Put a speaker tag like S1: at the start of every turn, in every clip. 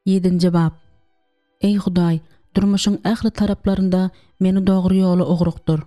S1: Ýedinji bap. Eý Hudaý, durmuşyň ähli taraplarynda meni dogry ýola ugrukdyr.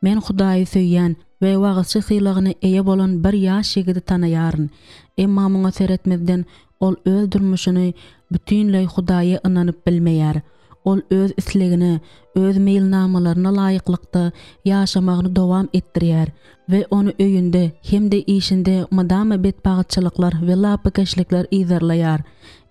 S1: Men Hudaýy söýýän we wagyzçy sylagyna eýe bolan bir ýaş ýigidi tanaýaryn. Emma muňa seretmezden, ol öz durmuşyny bütinleý Hudaýa ynanyp bilmeýär. Ol öz islegine, öz meýilnamalaryna laýyklykda ýaşamagyny dowam etdirýär we ony öýünde hem-de işinde mydama betbagytçylyklar we lapykeçlikler yzarlaýar.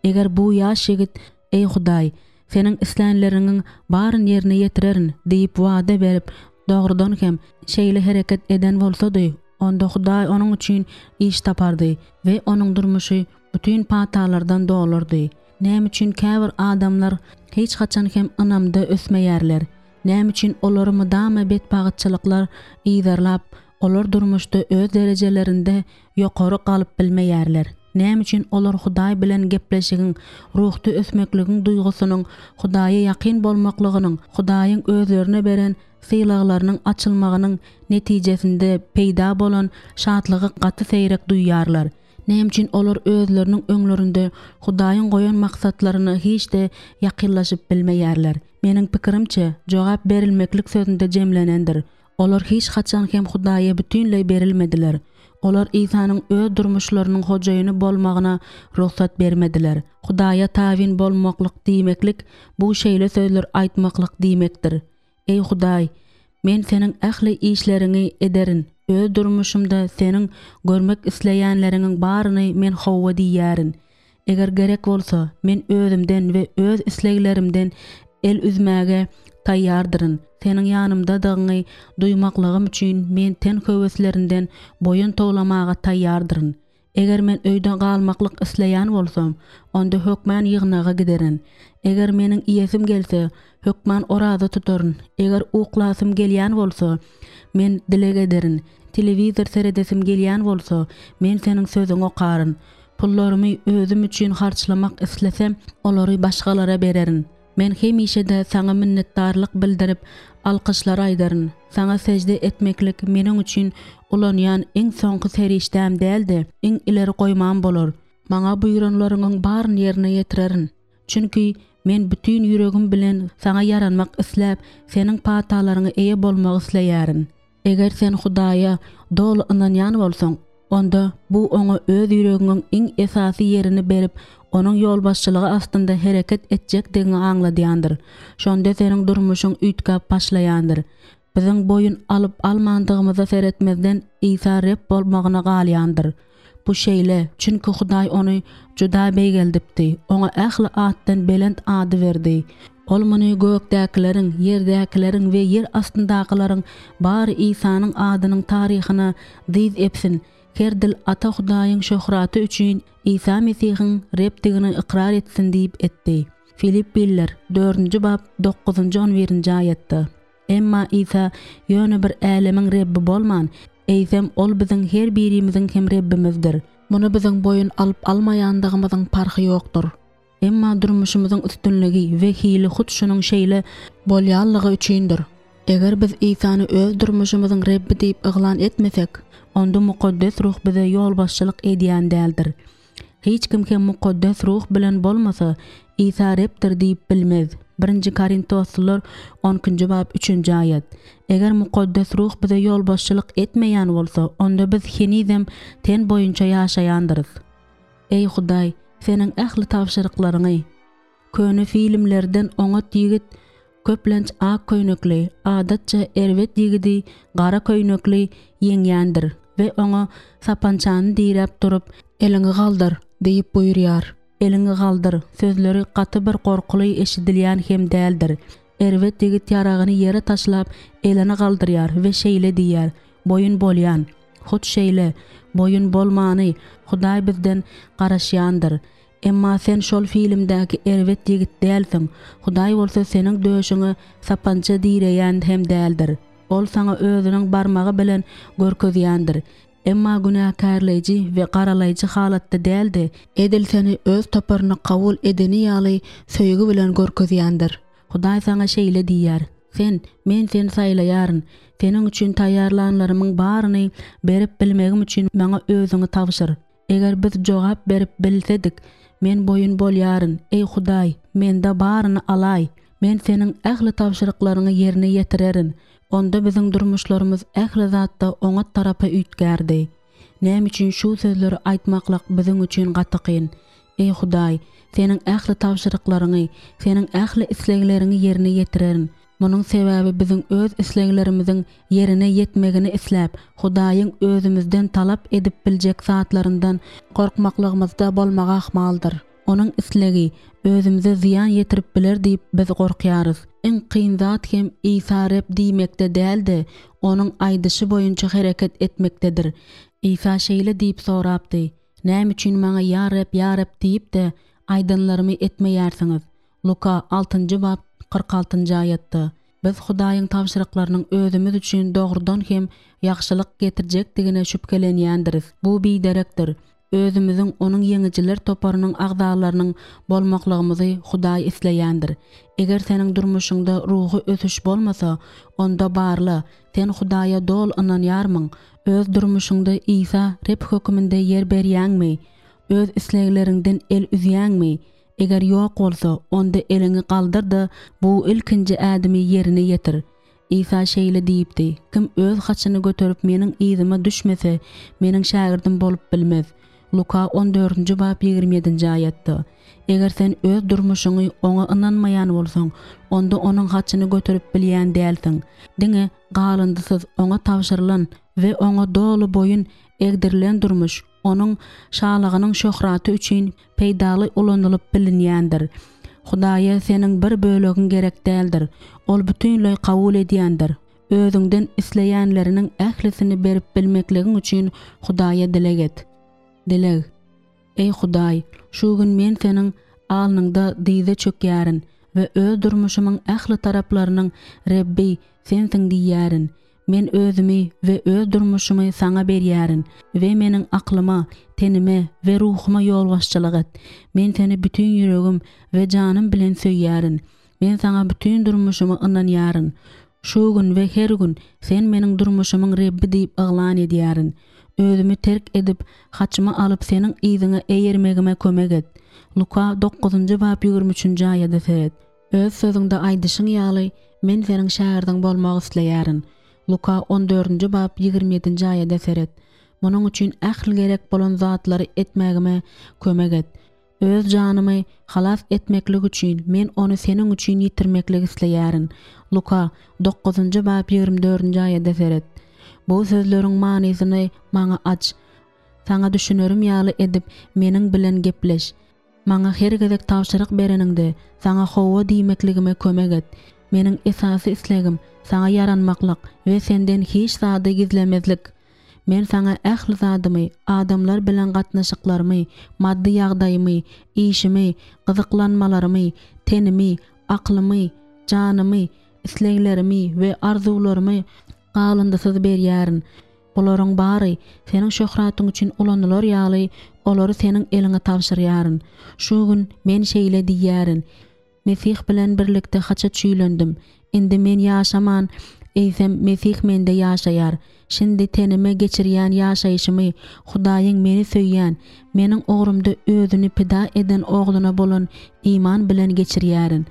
S1: Eger bu ýaş ýigit, Eý Hudaý, Seniň islänleriňiň baryny ýerine ýetirerin diýip wada berip, dogrudan hem, şeýle hereket eden bolsady, onda Hudaý onuň üçin iş tapardy we onuň durmuşy bütin patalardan dolardy. Näme üçin käbir adamlar hiç haçan hem ynamda ösmeýärler? Näme üçin olary mydama betbagytçylyklar yzarlap, olar durmuşda öz derejelerinde ýokary galyp bilmeýärler? Näme üçin olar Hudaý bilen gepleşigiň, ruhda ösmekligiň duýgusynyň, Hudaýa ýakyn bolmaklygynyň, Hudaýyň özlerine beren sylaglarynyň açylmagynyň netijesinde peýda bolan şatlygy gaty seýrek duýýarlar? Näme üçin olar özleriniň öňlerinde Hudaýyň goýan maksatlaryna hiç-de ýakynlaşyp bilmeýärler? Meniň pikirimçe, jogap berilmeklik sözünde jemlenendir. Olar hiç haçan hem Hudaýa bütinleý berilmediler. Olar Isanyň öz durmuşlarynyň hojaýyny bolmagyna rugsat bermediler. Hudaýa tabyn bolmaklyk diýmeklik, bu şeýle sözler aýtmaklyk diýmekdir, Eý Hudaý, men Seniň ähli işleriňi ederin, öz durmuşymda Seniň görmek isleýänleriňiň baryny men hawa diýýärin. Eger gerek bolsa, men özümden we öz isleglerimden el üzmäge taýýardyryn. Seniň ýanymdadygyňy duýmaklygym üçin men ten höweslerinden boýun towlamaga taýýardyryn. Eger men öýde galmaklyk isleýän bolsam, onda hökmän ýygnaga giderin. Eger meniň iýesim gelse, hökman oraza tutaryn. Eger uklasym gelýän bolsa, men dileg ederin. Telewizor seredesim gelýän bolsa, men Seniň Sözüňi okaryn. Pullarymy özüm üçin harçlamak islesem, olary başgalara bererin. Men hemişe-de Saňa minnetdarlyk bildirip, alkyşlar aýdaryn. Saňa sežde etmeklik meniň üçin ulanýan iň soňky serişdäm däl-de, iň ileri goýmam bolar. Maňa buýranlaryňyň baryny ýerine ýetirerin. Çünki men bütin ýüregim bilen Saňa ýaranmak isläp, Seniň patalaryňa eýe bolmak isleýärin. Eger sen Hudaýa doly ynanýan bolsaň, onda bu Oňa öz ýüregiňiň iň esasy ýerini berip, Onuň ýolbaşçylygy astynda hereket etjekdigiňi aňladýandyr. Şonda seniň durmuşyň üýtgäp başlaýandyr. Biziň boýun alyp-almandygymyza seretmezden, Isa Reb bolmagyna galýandyr. Bu şeýle, çünki Hudaý ony juda beýgeldipdi, oňa ähli atdan belent ady berdi. Ol muny gökdäkileriň, ýerdäkileriň we ýer astyndakylaryň bary Isanyň adynyň taryhyna dyz epsin, her dil Ata Hudaýyň şöhraty üçin Isa Mesihiň Rebdigini ykrar etsin diýip etdi. Filippililer, dördünji bap, dokuzynjy, on birinji aýatda. Emma Isa ýöne bir älemiň Rebbi bolman, eýsem, Ol biziň her birimiziň hem Rebbimizdir.
S2: Muny biziň boýun alyp-almaýandygymyzyň parhy ýokdur.
S1: Emma durmuşymyzyň üstünligi we hili hut şunuň şeýle
S2: bolýanlygy üçindir. Eger biz Isany öz durmuşymyzyň Rebbi diýip yglan etmesek,
S1: onda Mukaddes Ruh bize ýolbaşçylyk edýän däldir. Hiç kim hem Mukaddes Ruh bilen bolmasa, Isa Rebdir diýip bilmez. Birinji Korintoslylar on ikinji bap üçünji aýat. Eger Mukaddes Ruh bize ýolbaşçylyk etmeýän bolsa, onda biz henizem ten boýunça ýaşaýandyrys. Eý Hudaý, Seniň ähli tabşyryklaryňy. Köne filmlerden oňat ýigit köplenç ak köýnekli, adatça erbet ýigidi gara köýnekli ýeňýändir we oňa sapançany diräp durup,
S2: Eliňi galdyr! diýip buýurýar.
S1: Eliňi galdyr! sözleri gaty bir gorkuly eşidilýän hem däldir. Erbet ýigit ýaragyny ýere taşlap, elini galdyrýar we şeýle diýýär, Boýun bolýan. Hut şeýle, boýun bolmany Hudaý bizden garaşýandyr. Emma sen şol filmdäki erbet ýigit dälsiň, Hudaý bolsa seniň döşüňe sapança direýän hem däldir. Ol saňa özüniň barmagy bilen görkezýändir. Emma günäkärleýji we garalaýjy halatda däl-de,
S2: edil seni öz toparyna kabul edeni ýaly söýgi bilen görkezýändir.
S1: Hudaý saňa şeýle diýýär, Sen, Men seni saýlaýaryn. Seniň üçin taýýarlanlarymyň baryny berip bilmegim üçin maňa özüňi tabşyr. Eger biz jogap berip bilsedik. Men boýun bolýaryn, eý Hudaý, mende baryny alaý. Men Seniň ähli tabşyryklaryňy ýerine ýetirerin. Onda biziň durmuşlarymyz ähli zatda oňat tarapa üýtgärdi. Näme üçin şu sözleri aýtmaklyk biziň üçin gaty kyn? Eý Hudaý, Seniň ähli tabşyryklaryňy, Seniň ähli islegleriňi ýerine ýetirerin. Munuň sebäbi biziň öz isleglerimiziň ýerine ýetmegini isläp, Hudaýyň özümizden talap edip biljek zatlaryndan gorkmaklygymyzda bolmagy ahmaldyr. Onuň islegi özümize zyýan ýetirip biler diýip biz gorkýarys. Iň kyn zat hem Isa Reb diýmekde däl-de, Onuň aýdyşy boýunça hereket etmekdedir. Isa şeýle diýip sorapdy, Näme üçin Maňa Ýa Reb, ýa Reb diýip-de, aýdanlarymy etmeýärsiňiz? Luka, altynjy bap, 46-njy aýatda, Biz Hudaýyň tabşyryklarynyň özümiz üçin dogrudan hem ýagşylyk getirjekdigine şübhelenýändiris. Bu biderekdir. Özümiziň Onuň ýeňijiler toparynyň agzalarynyň bolmaklygymyzy Hudaý isleýändir. Eger seniň durmuşyňda ruhy ösüş bolmasa, onda barla, sen Hudaýa doly ynanýarmyň? Öz durmuşyňda Isa Reb höküminde ýer berýäňmi? Öz islegleriňden el üzýäňmi? Eger ýok bolsa, onda eliňi galdyr-da, bu ilkinji ädimi ýerine ýetir. Isa şeýle diýipdi, Kim öz haçyny göterip Meniň yzyma düşmese, Meniň şägirdim bolup bilmez. Luka on dördünji bap 27-nji aýatda. Eger sen öz durmuşyňy Oňa ynanmaýan bolsaň, onda Onuň haçyny göterip bilýän dälsiň. Diňe galyndysyz Oňa tabşyrylan we Oňa doly boýun egdirilen durmuş, Onuň Şalygynyň şöhraty üçin peýdaly ulanylyp bilinýändir. Hudaýa seniň bir bölegiň gerek däldir. Ol bütinleý kabul edýändir. Özüňden isleýänleriniň ählisini berip bilmekligiň üçin Hudaýa dileg et. Dileg. Eý Hudaý, şu gün men Seniň alnyňda dyza çökýärin we öz durmuşymyň ähli taraplarynyň Rebbi Sensiň diýýärin. Men özümi we öz durmuşymy Saňa berýärin we meniň aklyma, tenime we ruhuma ýolbaşçylyk et. Men Seni bütin ýüregim we janym bilen söýýärin. Men Saňa bütin durmuşymy ynanýaryn. Şu gün we her gün Sen meniň durmuşymyň Rebbi diýip yglan edýärin. Özümi terk edip, haçymy alyp Seniň yzyňa eýermegime kömek et. Luka dokuzynjy bap 23-nji aýada seret. Öz sözüňde aýdyşyň ýaly, men seniň şägirdiň bolmak isleýärin. Luka on dördünji bap 27-nji aýada seret. Munuň üçin ähli gerek bolan zatlary etmägime kömek et. Öz janymy halas etmeklik üçin men ony seniň üçin ýitirmeklik isleýärin. Luka dokuzynjy bap 24-nji aýada seret. Bu sözleriň manysyny maňa aç. Saňa düşünerim ýaly edip meniň bilen gepleş. Maňa her gezek tabşyryk bereniňde, Saňa hawa diýmekligime kömek et. Meniň esasy islegim, Saňa ýaranmaklyk we Senden hiç zady gizlemezlik. Men Saňa ähli zadymy, adamlar bilen gatnaşyklarymy, maddy ýagdaýymy, işimi, gyzyklanmalarymy, tenimi, aklymy, janymy, isleglerimi we arzuwlarymy galyndysyz berýärin. Bularyň bary Seniň şöhratyň üçin ulanylar ýaly, olary Seniň eliňe tabşyrýaryn. Şu gün men şeýle diýýärin, Mesih bilen birlikde haça çüýlendim. Indi men ýaşaman, eýsem, Mesih mende ýaşaýar. Şindi tenime geçirýän ýaşaýşymy Hudaýyň meni söýýän, meniň ugrumda Özüni pida eden Ogluna bolan iman bilen geçirýärin.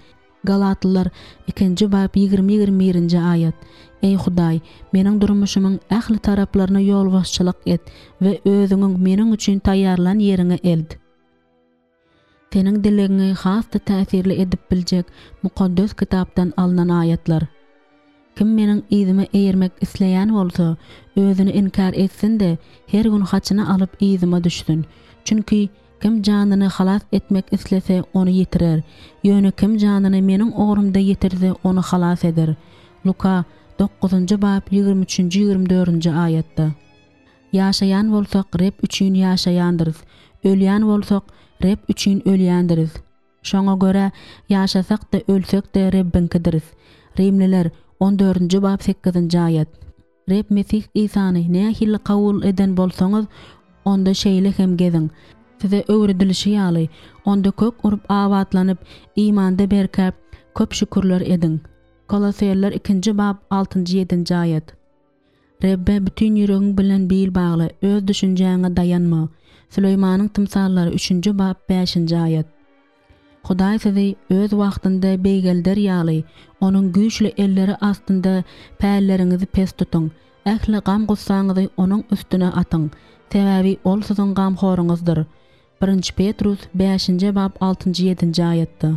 S1: Galatlylar, ikinji bap 20 21-nji aýat. Eý Hudaý, meniň durmuşymyň ähli taraplaryna ýolbaşçylyk et we Özüňiň meniň üçin taýýarlan ýeriňe elt. Seniň dilegiňi has-da täsirli edip biljek Mukaddes Kitapdan alnan aýatlar. Kim meniň yzyma eýermek isleýän bolsa, özüni inkär etsin-de, her gün haçyny alyp yzyma düşsün. Çünki kim janyny halas etmek islese, ony ýitirer. Ýöne kim janyny meniň ugrumda ýitirse, ony halas eder. Luka, dokuzynjy bap, ýigrimi üçünji, ýigrimi dördünji aýatda. Ýaşaýan bolsak, Reb üçin ýaşaýandyrys. Ölýän bolsak, Reb üçin ölýändiris. Şoňa görä, ýaşasak-da, ölsek-de Rebbiňkidiris. Rimliler, on dördünji bap sekizinji aýat. Reb Mesih Isany nähili kabul eden bolsaňyz, onda şeýle hem geziň. Size öwredilişi ýaly, onda kök urup abatlanyp, imanda berkäp, köp şükürler ediň. Koloseller ikinji bap altynjy ýedinji aýat. Rebbe bütin ýüregiň bilen bil bagla, öz düşünjäňe daýanma. Süleýmanyň tymsallary üçünji bap bäşinji aýat. Hudaý sizi öz wagtynda beýgelder ýaly, Onuň güýçli elleri astynda pälleriňizi pes tutuň. Ähli gam-gussaňyzy Onuň üstüne atyň, sebäbi Ol siziň gamhoryňyzdyr. Birinji Petrus bäşinji bap altynjy ýedinji aýatda.